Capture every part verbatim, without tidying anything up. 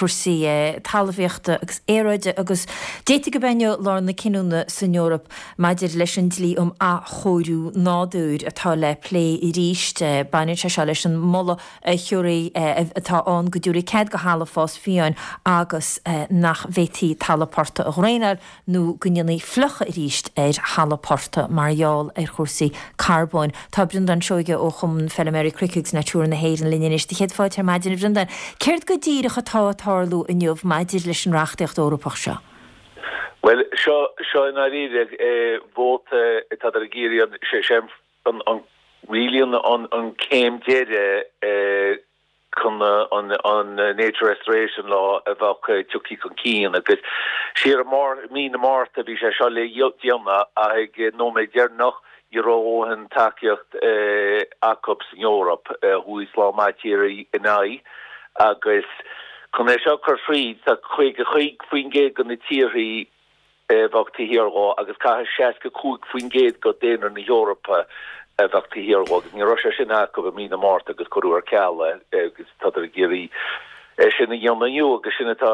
cúrsaí talmhaíochta agus aeráide agus d'fhéadfadh gurb é inniu lá na cinniúna san Eoraip maidir leis an dlí um athchóiriú nádúir atá le plé arís. Baineann sé seo leis an moladh a thiúrfaidh atá ann go dtabharfaí cead do thalamh fás fiáin agus nach bhféadfaí talamh portaigh a dhraenáil nó go ndéanfaí fliuchadh arís ar thalamh portaigh mar gheall ar chúrsaí carbóin. Tá Breandán Seoige ó Chumann Feilméaraí Cnoic agus Natura na hÉireann linn anois do chéad fáilte ar maidin a Bhreandáin. Céard go díreach atá ag tarlú inniu maidir leis an reachtaíocht Eorpach seo? Well seo seo i ndáiríre vóta atá ag iarraidh sé sé an an really an an an céim deiridh chun an an Nature Restoration Law a bheadh tugtha chun cinn agus siar mar mí na Márta bhí sé seo le déanamh ag nóiméad deireanach ní raibh an tacaíocht acu san Eoraip thuas lá matír in aghaidh agus chun é seo chur fríd tá caoga cúig faoin gcéad de na tíorthaí bheadh taobh thiar dhó agus caithfidh seasca cúig faoin gcéad de dhaonra na hEorpa a bheadh taobh thiar dhó agus ní raibh sé sin acu i mí na Márta agus cuireadh ar ceal agus tá ag iarraidh é sin a dhéanamh inniu agus sin atá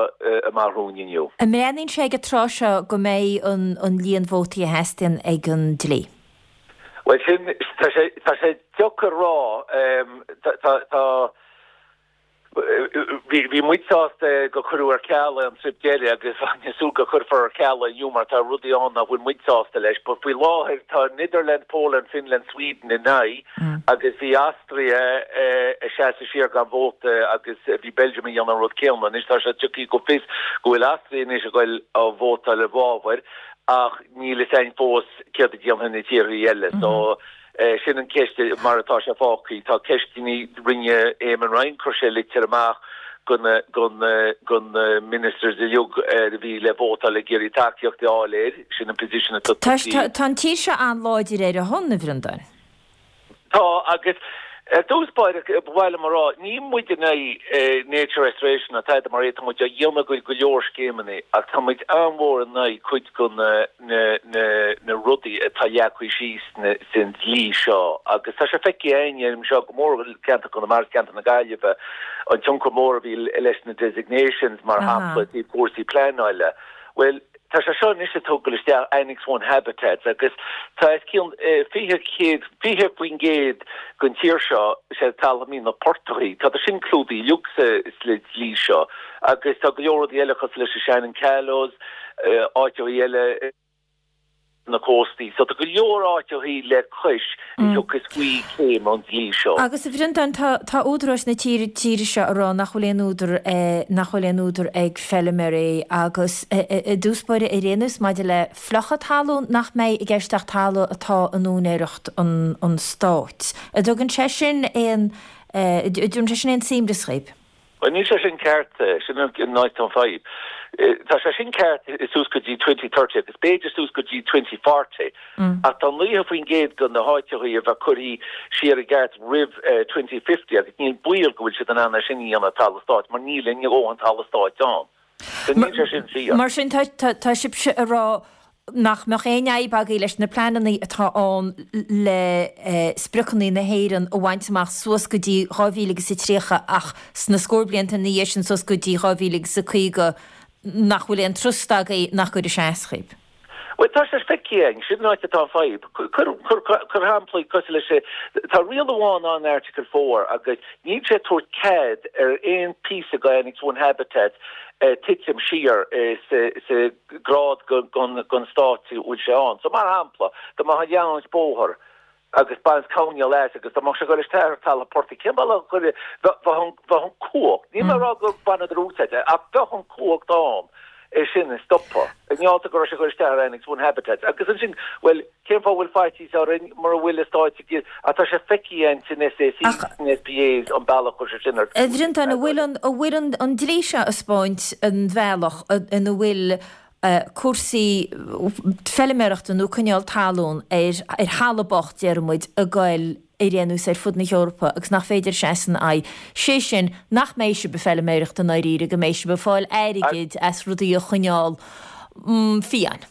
amach romhainn inniu. An mbreathnaíonn sé ag an tráth seo go mbeidh an an líon vótaí a theastaíonn ag an dlí? Well sin tá sé tá sé deacair rá tá tá bhí muid sásta go cuireadh ar ceal an trip deiridh agus súil go cuirfear ar ceal inniu mar tá rudaí ann nach bhfuil muid sásta leis, but faoi láthair tá Netherlands, Poland, Finland, Sweden in aghaidh agus bhí Austria ag seasamh siar gan vóta agus bhí Belgium a dhéanamh an rud céanna. Anois tá sé tugtha go fios go bhfuil Austria anois ag goil a vótáil i bhfabhar ach níl a fhios againn fós céard a dhéanfaidh na tíorthaí eile. So sin an ceist mar atá sé fágtha. Tá ceisteanna rinne Eamon Ryan chuir sé litir amach go go na ministers uilig a bhí le vótáil ag iarraidh tacaíocht a fháil air sin an position atá Tá an tír seo an-láidir ar a shon a Bhreandáin. Tá agus ar dtús báire bhile mar rá ní muid in aghaidh nature restoration atá mar é muid a dhéanamh go go leor scéimeanna ach tá muid an-mhór in aghaidh cuid de na na na na rudaí atá leagtha síos san dlí seo agus tá sé feicthe againn seo go mór ceantar Chonamara ceantar na Gaillimhe an tionchar mór a bhí leis na designations mar shampla i cúrsaí pleanála. Well tá sé seo anois ag dul isteach Annex One Habitats agus tá os cionn fiche céad fiche faoin gcéad den tír seo sé talamh na portaigh Tá sin clúdaithe uilig sa le dlí seo agus tá go leor rudaí eile cosúil leis Shannon Callows áiteacha eile na cóstaí, so tá go leor áiteacha le cois agus faoi céim an dlí seo. Agus a Bhreandáin tá údaráis na tíre tíre seo a rá nach bhfuil aon údar nach bhfuil aon údar ag feilméaraí agus i dtús báire ar aon nós maidir le fliuchadh talún nach mbeidh i gceist ach talamh atá in úinéireacht an an stáit. An dtugann sé sin aon dtugann sé sin aon suaimhneas dhaoibh. Well níl sé sin ceart sin an áit an fadhb. Tá sé sin ceart suas go dtí twenty thirty agus b'fhéidir suas go dtí twenty forty. Ach tá naocha faoin gcéad de na háiteacha a bheith curtha siar i gceart roimh twenty fifty agus níl baol go bhfuil siad in ann é sin a dhéanamh talamh stáit mar níl aon dhóthain talamh stáit ann. So níl sé sin fíor. Mar sin tá sibhse a rá nach mbeadh aon fhadhb agaibh leis na pleananna atá ann le spriocanna na hÉireann a bhaint amach suas go dtí dhá mhíle agus a tríocha ach sna scór blianta ina dhiaidh sin suas go dtí dhá mhíle agus a caoga nach bhfuil aon trust agaibh nach gcuirfidh sé as dhaoibh. Well tá sé feicthe againn sin an áit atá an fadhb. Cuir shamplaí cosúil leis tá riail amháin an Article four agus níl sé tabhairt cead ar aon píosa de Annex One Habitat titim siar sa grád den stát bhfuil sé ann. So mar shampla, dá mbeadh ag déanamh bóthar agus baint coinneal as agus dá mbeadh sé ag dul isteach ar talamh portaigh cén bealach a chuir bheadh an cumhacht, níl mé ag rá go baineadar úsáid ach bheadh an cumhacht ann é sin a stopadh. I ngeall go raibh sé ag dul isteach ar Annex One Habitats agus ansin well cén fáth bhfuil faitíos orainn mura bhfuil a stáit ach tá sé feicthe againn san SACs san SPAs an bealach chuir sé sin ar A Bhreandáin, an bhfuil an bhfuil an an dlí seo ag spáint an bhealach ina bhfuil cúrsaí feilméarachta nó coinneáil talún ar ar thalamh bocht deir muid ag goil ar aon nós ar fud na hEorpa agus nach féidir seasamh ina aghaidh. Sé sin nach mbeidh sibh ag feilméireacht i ndáiríre go mbeidh sibh ag fáil airgid as rudaí a choinneáil fiáin.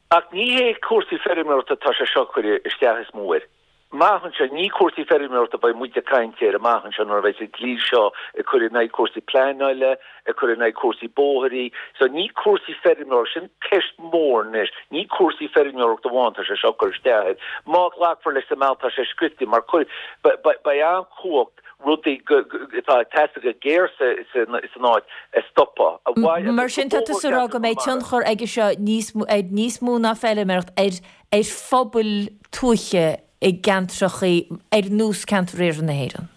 Ach ní hé cúrsaí feilméarachta tá sé seo chuir isteach is mó air. Amach anseo, ní cúrsaí feirmeoireachta a bheidh muid ag caint air amach anseo nuair a bheidh an dlí seo ag cur in aghaidh cúrsaí pleanála, ag cur in aghaidh cúrsaí bóithrí. So ní cúrsaí feirmeoireachta, sin ceist mhór anois, ní cúrsaí feirmeoireachta amháin tá sé seo ag cur isteach air. Má ghlacfar leis sa mbealach tá sé scriofa mar cuir, beidh an-chumhacht rudaí atá ag teastáil go géar san áit a stopadh. Mar sin tá tusa ag rá go mbeidh tionchar aige seo níos ar níos mó ná feilméaracht ar ar phobail tuaithe i gceantracha ar nós ceantar iarthar na hÉireann.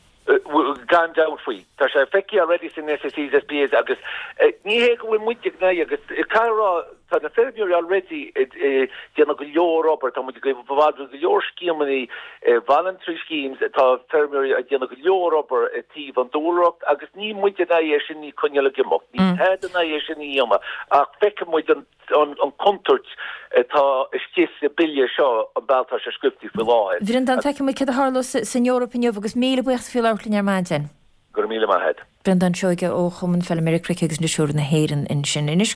Gan dabht faoi. Tá sé feicthe already san SACs, SPAs agus ní hé go bhfuil muid ag náire agus caithfidh a rá tá na feirmeoirí already ag déanamh go leor obair, tá muid ag gabháil go leor scéimeanna, voluntary schemes, tá feirmeoirí ag déanamh go leor obair i dtaobh an dúlra agus níl muid in aghaidh é sin a choinneáil ag imeacht, níl tada in aghaidh é sin a dhéanamh ach feicfidh muid an an contúirt atá istigh sa bille seo an bealach atá sé scriofa faoi láthair. Bhreandán, feicfidh muid céard a tharlós san Eoraip inniu agus míle buíochas faoi labhairt linn ar maidin. Go raibh míle maith agat. Breandán Seoige ó Chumann Feilméaraí Cnoic agus Nátúrtha na hÉireann ansin. Anois.